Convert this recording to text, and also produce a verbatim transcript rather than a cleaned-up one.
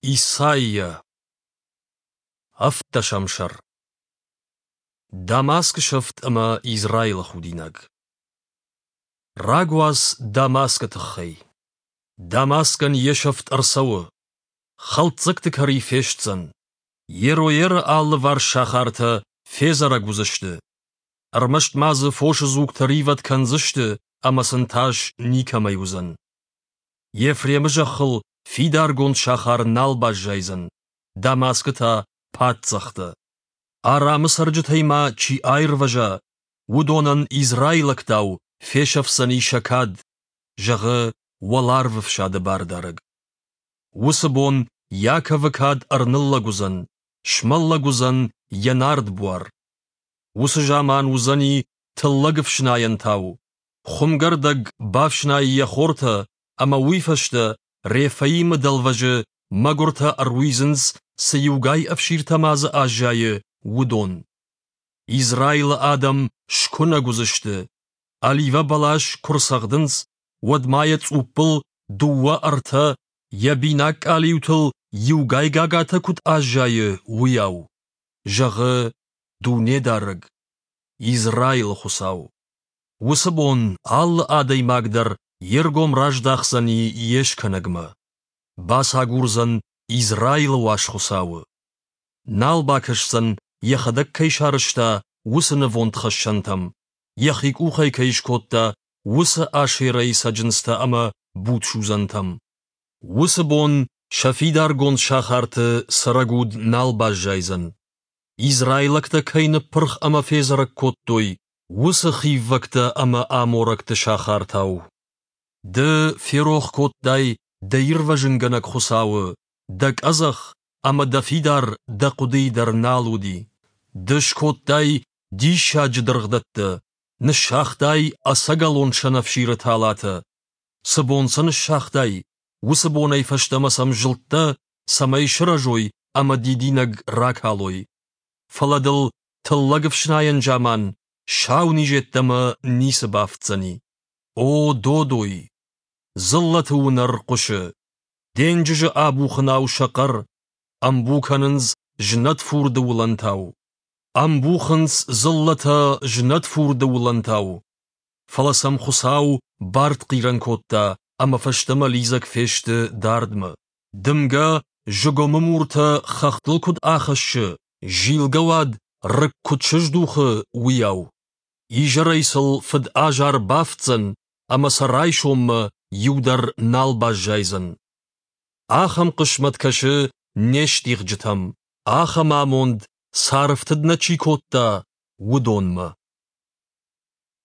Исайя. Ӕвддӕсӕм сӕр. Дамаскы сӕфт ӕмӕ Израилы худинаг. Рагуац Дамаскы тыххӕй. Дамаскӕн йе сӕфт ӕрцӕуы. Хӕлддзӕгты кӕри фестдзӕн. Ероеры алыварс сахартӕ федзӕрӕг уыдзысты. Ӕрмӕст ма дзы фосы дзугтӕ ривӕд кӕндзысты ӕмӕ сын тас никӕмӕй уыдзӕн. Ефремы зӕххыл фидаргонд сахар нал баззайдзӕн, Дамаскы та паддзӕхтӕ. Арамы цӕрджытӕй ма чи аирвӕза, уыдонӕн израилӕгтау фесӕфдзӕни сӕ кад, зӕгъы Уӕларвӕфсады Бардарӕг. Уыцы бон Иаковы кад ӕрныллӕг уыдзӕн, смӕллӕг уыдзӕн йӕ нард буар. Уыцы заман уыдзӕни тыллӕг ӕфснайӕнтау. Хуымгӕрдӕг бафснайы йӕ хортӕ, ӕмӕ уый фӕстӕ Рефаимы дӕлвӕзы мӕгуыртӕ ӕруидзынц, цы иугай ӕфсиртӕ ма дзы аззайы, уыдон. Израилы адӕм скуынӕг уыдзысты. Оливӕ бӕлас куы рцӕгъдынц, уӕд ма йӕ цъуппыл дыууӕ-ӕртӕ, йӕ бинаг къалиутыл иугай гагатӕ куыд аззайы, уыйау, зӕгъы Дунедарӕг, Израилы Хуыцау. Уыцы бон алы адӕймаг дӕр йе ргом раздахдзӕни йе скӕнӕгмӕ. Бацагурдзӕн Израилы уаз Хуыцауы. Нал бакӕсдзӕн, йӕхӕдӕг кӕй сарӕзта, уыцы нывондхӕссӕнтӕм, йӕхи къухӕй кӕй скодта, уыцы Ашерӕйы цӕджындзтӕ ӕмӕ будсудзӕнтӕм. Уыцы бон сӕ фидаргонд сахарты цӕрӕг уд нал баззайдзӕн. Израилӕгтӕ кӕй ныппырх ӕмӕ федзӕрӕг кодтой, уыцы хиввӕгтӕ ӕмӕ аморӕгты сахартау. Ды ферох кодтай дӕ ирвӕзынгӕнӕг Хуыцауы, дӕ къӕдзӕх ӕмӕ дӕ фидар дӕ хъуыдыйы дӕр нал уыди. Ды скодтай диссаджы дыргъдӕттӕ, ныссагътай ӕцӕгӕлон сӕнӕфсиры талатӕ. Цы бон сӕ ныссагътай, уыцы бонӕй фӕстӕмӕ сӕм зылдтӕ, цӕмӕй сырӕзой ӕмӕ дидинӕг ракалой. Фӕлӕ дыл тыллӕг ӕфснайӕн заман сау низ йеддӕмӕ ницы бафтдзӕни. О, додой! Дзыллӕты уынӕр хъуысы. Денджызы абухынау сӕ хъӕр, ӕмбу кӕнынц знӕт фурды уылӕнтау. Ӕмбухынц дзыллӕтӕ знӕт фурды уылӕнтау. Фӕлӕ сӕм Хуыцау бартхъирӕн кодта, ӕмӕ фӕстӕмӕ лидзӕг фесты дардмӕ. Дымгӕ зыгуымы муртӕ хӕхтыл куыд ахӕссы, зилгӕ уад рыг куыд сыздухы, уыйау. Изӕрӕй сыл фыд азар бафтдзӕн, ӕмӕ сӕ райсоммӕ иу дӕр нал баззайдзӕн. Ахӕм хъысмӕт кӕсы не стигъджытӕм, ахӕм амонд, царӕфтыд нӕ чи кодта, уыдонмӕ.